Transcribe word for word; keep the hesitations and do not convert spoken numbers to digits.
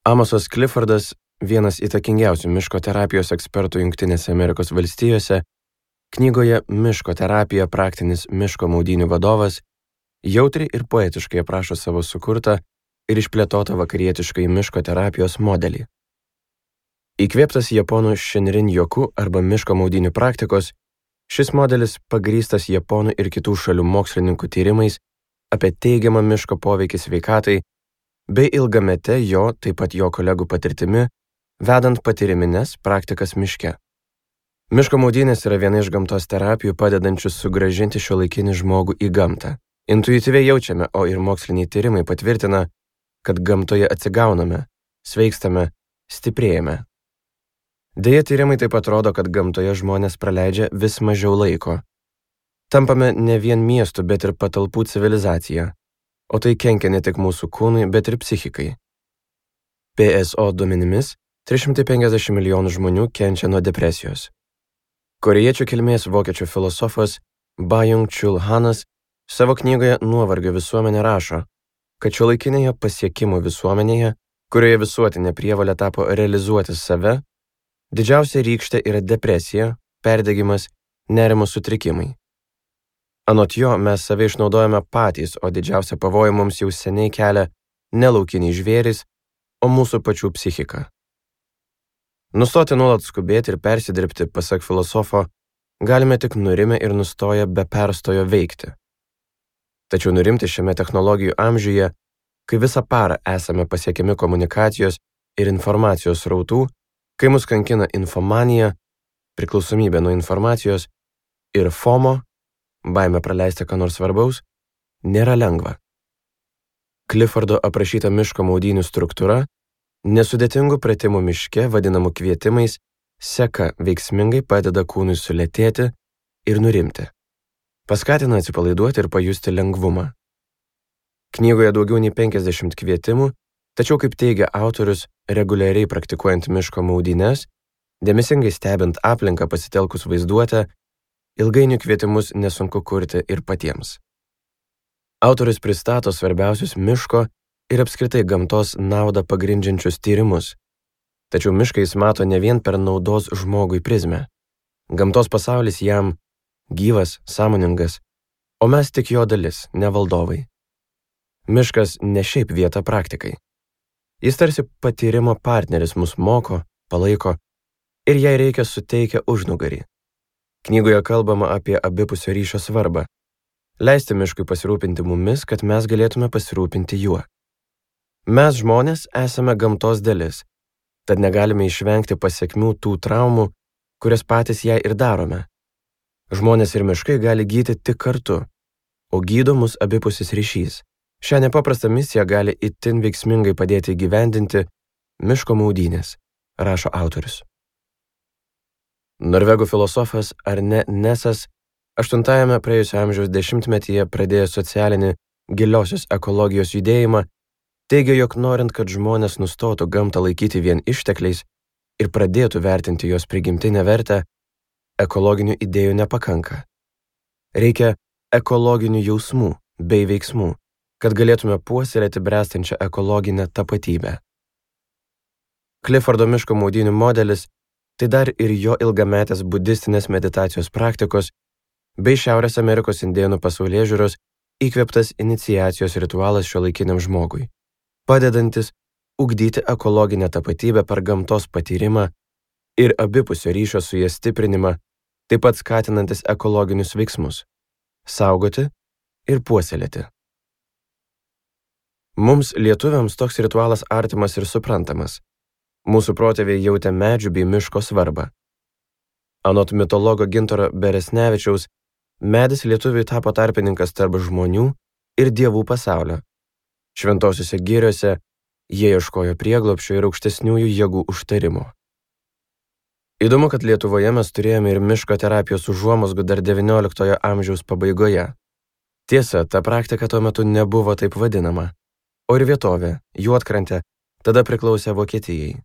Amosas Cliffordas, vienas įtakingiausių miško terapijos ekspertų Jungtinėse Amerikos valstijose, knygoje Miško terapija praktinis miško maudynių vadovas, jautriai ir poetiškai aprašo savo sukurtą ir išplėtotą vakarietiškai miško terapijos modelį. Įkvėptas japonų Shinrin Yoku arba miško maudynių praktikos, šis modelis pagrįstas japonų ir kitų šalių mokslininkų tyrimais apie teigiamą miško poveikį sveikatai bei ilgamete jo, taip pat jo kolegų patirtimi, vedant patyrimines praktikas miške. Miško maudynės yra viena iš gamtos terapijų padedančių sugrąžinti šiuolaikinį žmogų į gamtą. Intuityviai jaučiame, o ir moksliniai tyrimai patvirtina, kad gamtoje atsigauname, sveikstame, stiprėjame. Deja, tyrimai taip pat rodo, kad gamtoje žmonės praleidžia vis mažiau laiko. Tampame ne vien miestų, bet ir patalpų civilizacija, o tai kenkia ne tik mūsų kūnui, bet ir psichikai. P S O duomenimis trys šimtai penkiasdešimt milijonų žmonių kenčia nuo depresijos. Korėjiečių kilmės vokiečių filosofas Byung-Chul Hanas savo knygoje Nuovargio visuomenė rašo, kad šiuolaikinėje pasiekimų visuomenėje, kurioje visuotinė prievolė tapo realizuoti save, didžiausia rykštė yra depresija, perdegimas, nerimo sutrikimai. Anot jo, mes save išnaudojame patys, o didžiausia pavojų mums jau seniai kelia ne laukiniai žvėrys, o mūsų pačių psichika. Nustoti nuolat skubėti ir persidirbti, pasak filosofo, galime tik nurimę ir nustoję be perstojo veikti. Tačiau nurimti šiame technologijų amžiuje, kai visą parą esame pasiekiami komunikacijos ir informacijos srautų, kai mus kankina infomanija, priklausomybė nuo informacijos ir FOMO, baimė praleisti ką nors svarbaus, nėra lengva. Cliffordo aprašyta miško maudynių struktūra, nesudėtingų pratimų miške vadinamų kvietimais, seka veiksmingai padeda kūnui sulėtėti ir nurimti. Paskatina atsipalaiduoti ir pajusti lengvumą. Knygoje daugiau nei penkiasdešimt kvietimų, tačiau, kaip teigia autorius, reguliariai praktikuojant miško maudynes, dėmesingai stebint aplinką pasitelkus vaizduotę, ilgainiui kvietimus nesunku kurti ir patiems. Autorius pristato svarbiausius miško ir apskritai gamtos naudą pagrindžiančius tyrimus. Tačiau mišką jis mato ne vien per naudos žmogui prizmę. Gamtos pasaulis jam gyvas, sąmoningas, o mes tik jo dalis, ne valdovai. Miškas ne šiaip vieta praktikai. Jis tarsi patyrimo partneris mus moko, palaiko ir jei reikia suteikia užnugarį. Knygoje kalbama apie abipusio ryšio svarbą. Leisti miškui pasirūpinti mumis, kad mes galėtume pasirūpinti juo. Mes žmonės esame gamtos dalis, tad negalime išvengti pasekmių tų traumų, kurias patys jai ir darome. Žmonės ir miškai gali gydyti tik kartu, o gydo mus abipusis ryšys. Šią nepaprastą misiją gali itin veiksmingai padėti įgyvendinti miško maudynės, rašo autorius. Norvegų filosofas Arne Nesas aštuntajame praėjusio amžiaus dešimtmetyje pradėjo socialinį giliosios ekologijos judėjimą, teigia, jog norint, kad žmonės nustotų gamtą laikyti vien ištekliais ir pradėtų vertinti jos prigimtinę vertę, ekologinių idėjų nepakanka. Reikia ekologinių jausmų bei veiksmų, kad galėtume puoselėti bręstančią ekologinę tapatybę. Cliffordo miško maudynių modelis tai dar ir jo ilgametės budistinės meditacijos praktikos bei Šiaurės Amerikos indėnų pasaulėžiūros įkvėptas iniciacijos ritualas šiuolaikiniam žmogui, padedantis ugdyti ekologinę tapatybę per gamtos patyrimą ir abipusio ryšio su jie stiprinimą, taip pat skatinantis ekologinius veiksmus – saugoti ir puoselėti. Mums, lietuviams, toks ritualas artimas ir suprantamas. Mūsų protėviai jautė medžių bei miško svarbą. Anot mitologo Gintaro Beresnevičiaus, medis lietuviui tapo tarpininkas tarp žmonių ir dievų pasaulio. Šventosiuose giriuose jie ieškojo prieglobsčio ir aukštesniųjų jėgų užtarimo. Įdomu, kad Lietuvoje mes turėjome ir miško terapijos užuomazgų dar devynioliktojo amžiaus pabaigoje. Tiesa, ta praktika tuo metu nebuvo taip vadinama, o ir vietovė, Juodkrantė, tada priklausė Vokietijai.